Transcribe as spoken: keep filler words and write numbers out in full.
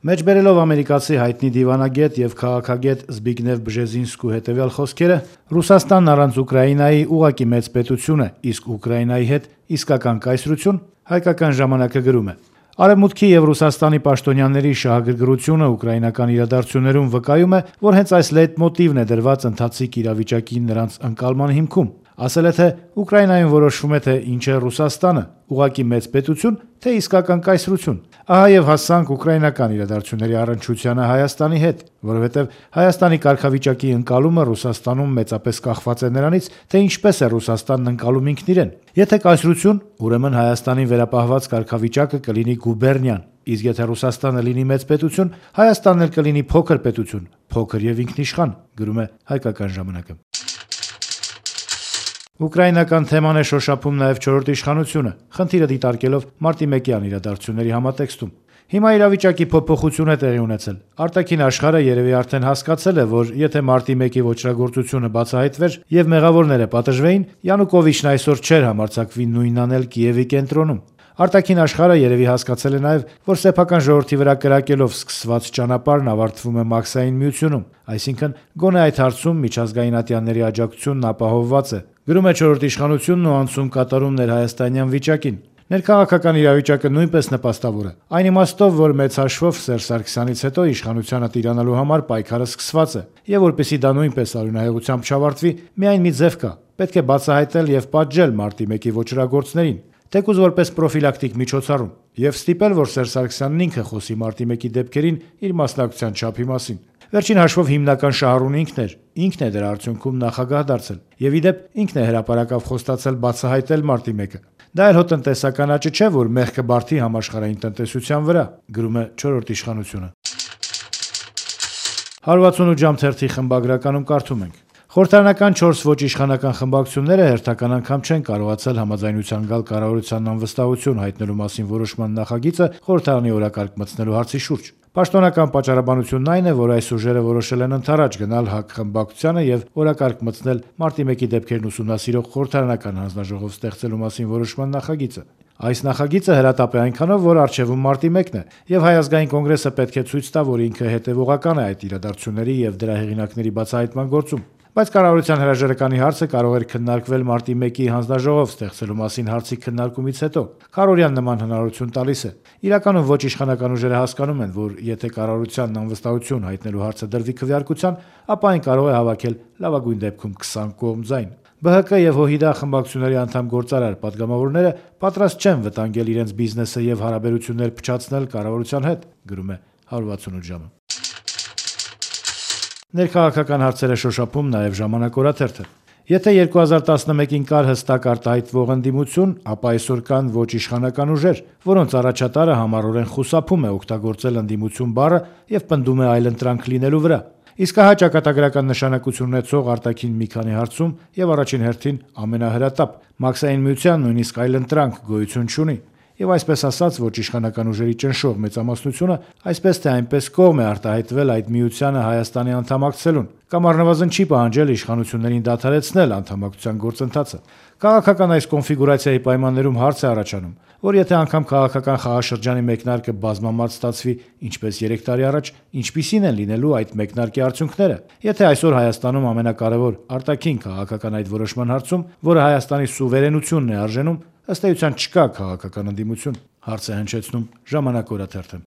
Մեջբերելով ամերիկացի հայտնի դիվանագետ եւ քաղաքագետ Զբիգնև Բժեզինսկու հետեւյալ խոսքերը, Ռուսաստանն առանց Ուկրաինայի ուղղակի մեծ պետություն է, իսկ Ուկրաինայի հետ իսկական կայսրություն, հայկական ժամանակը գրում է. Արևմուտքի եւ Ռուսաստանի պաշտոնյաների շահագրգռությունը ուկրաինական իրադարձություններում վկայում է, որ հենց այս լեյտմոտիվն է դրված ընթացիկ իրավիճակի նրանց ընկալման հիմքում։ Ասել է, թե Ուկրաինայում որոշվում է, թե ինչ է Ռուսաստանը՝ ուղղակի մեծ պետություն, թե իսկական կայսրություն։ Ահա եւ հասանք ուկրաինական իրադարձությունների առնչությանը Հայաստանի հետ, որովհետեւ Հայաստանի կարգավիճակի ընկալումը Ռուսաստանում մեծապես կախված է նրանից, թե ինչպես է Ռուսաստանն ընկալում ինքն իրեն։ Եթե կայսրություն, ուրեմն Հայաստանի վերապահված կարգավիճակը կլինի գուբերնիան, իսկ եթե Ռուսաստանը լինի մեծ պետություն, Հայաստանն էլ կլինի փոքր պետություն, փոքր եւ ինքնիշխան, գրում է Հայկական ժամանակը։ Ուկրաինական թեման է շոշափում նաև չորրորդ իշխանությունը, խնդիրը դիտարկելով մարտի մեկյան իրադարձությունների համատեքստում։ Հիմա իրավիճակի փոփոխություն է տեղի ունեցել։ Արտաքին աշխարհը երևի արդեն հասկացել է, որ եթե մարտի մեկի ոճրագործությունը բացահայտվեր եւ մեղավորները պատժվեին, Յանուկովիչն այսօր չէր համարձակվի նույնն անել Կիևի կենտրոնում։ Արտաքին աշխարհը երևի հասկացել է նաև, որ սեփական ժողովրդի վրա կրակելով սկսված ճանապարհն ավարտվում է Մաքսային միությունում, այսինքն գոնե այդ հարցում միջազգային ատյանների աջակցությունն ապահովված է։ Գրում է չորրորդ իշխանությունն ու անցում կատարում ներհայաստանյան վիճակին։ Ներքաղաքական իրավիճակը նույնպես նպաստավոր է։ Այն իմաստով, որ մեծ հաշվով Սերժ Սարգսյանից հետո իշխանությանը տիրանալու համար պայքարը սկսված է, եւ որպեսզի դա նույնպես արյունահեղությամբ չավարտվի, միայն մի ձև կա՝ պետք է բացահայտել եւ պատժել մարտի մեկի ոճրագործներին, թեկուզ որպես պրոֆիլակտիկ միջոցառում, եւ ստիպել, որ Սերժ Սարգսյանն ինքը խոսի մարտի մեկի դեպքերին իր մասնակցության չափի մասին։ Վերջին հաշվով հիմնական շահառուն ինքն էր, ինքն է դրա արդյունքում նախագահ դարձել, եւ ի դեպ ինքն է հրապարակավ խոստացել բացահայտել մարտի մեկը։ Դա էլ հո տնտեսական աճը չէ, որ մեղքը բարդի համաշխարհային տնտեսության վրա, գրում է չորրորդ իշխանությունը։ հարվածունութ ժամ թերթի խմբագրականում կարդում ենք. Խորհրդարանական չորս ոչ իշխանական խմբակցությունները հերթական անգամ չեն կարողացել համաձայնության գալ կառավարության անվստահություն հայտնելու մասին որոշման նախագիծը խորհրդարանի օրակարգ մտցնելու հարցի շուրջ։ Պաշտոնական պատճառաբանությունն այն է, որ այս ուժերը որոշել են ընդառաջ գնալ ՀԱԿ խմբակցությանը եւ օրակարգ մտցնել մարտի մեկի դեպքերն ուսումնասիրող խորհրդարանական հանձնաժողով ստեղծելու մասին որոշման նախագիծը։ Այս նախագիծը հրատապ է այնքանով, որ առջևում մարտի մեկն է, եւ Հայ ազգային կոնգրեսը պետք է ցույց տա, որ ինքը հետեւողական է այդ իրադարձությունների եւ դրա հեղինակների բացահայտման գործում։ Բայց կառավարության հրաժարականի հարցը կարող էր քննարկվել մարտի մեկի հանձնաժողով ստեղծելու մասին հարցի քննարկումից հետո։ Քարորյան նման հնարավորություն տալիս է։ Իրականում ոչ իշխանական ուժերը հասկանում են, որ եթե կառավարությանն անվստահություն հայտնելու հարցը դրվի քվեարկության, ապա այն կարող է հավաքել լավագույն դեպքում քսան կողմ ձայն։ ԲՀԿ եւ ՀՅԴ խմբակցությունների անդամ գործարար падգամավորները պատրաստ չեն վտանգել իրենց բիզնեսը եւ հարաբերություններ փչացնել կառավարության հետ, գրում է հարվածունութ ժամը։ Ներքաղաքական հարցերը շոշափում նաև Ժամանակ օրաթերթը։ Եթե երկու հազար տասնմեկին կար հստակ արտահայտվող ընդդիմություն, ապա այսօր կան ոչ իշխանական ուժեր, որոնց առաջատարը համառորեն խուսափում է օգտագործել ընդդիմություն բառը եւ պնդում է այլընտրանք լինելու վրա։ Իսկ հա ճակատագրական նշանակություն ունեցող արտաքին մի քանի հարցում եւ առաջին հերթին ամենահրատապ Մաքսային միության նույնիսկ այլընտրանք գոյություն չունի։ Եվ այսպես ասած, ոչ իշխանական ուժերի ճնշող մեծամասնությունը այսպես թե այնպես կողմ է արտահայտվել այդ միությանը Հայաստանի անդամակցելուն, կամ առնվազն չի պահանջել իշխանություններին դադարեցնել անդամակցության գործընթացը։ Քաղաքական այս կոնֆիգուրացիայի պայմաններում հարց է առաջանում, որ եթե անգամ քաղաքական խաղաշրջանի մեկնարկը բազմամարդ ստացվի, ինչպես երեք տարի առաջ, ինչպիսին են լինելու այդ մեկնարկի արդյունքները։ Եթե այսօր Հայաստանում ամենակարևոր արտաքին քաղաքական այդ որոշման հարցում, որը Հայաստանի սուվերենությունն է արժենում, ըստ էության չկա քաղաքական ընդդիմություն, հարց է հնչեցնում Ժամանակ օրաթերթը։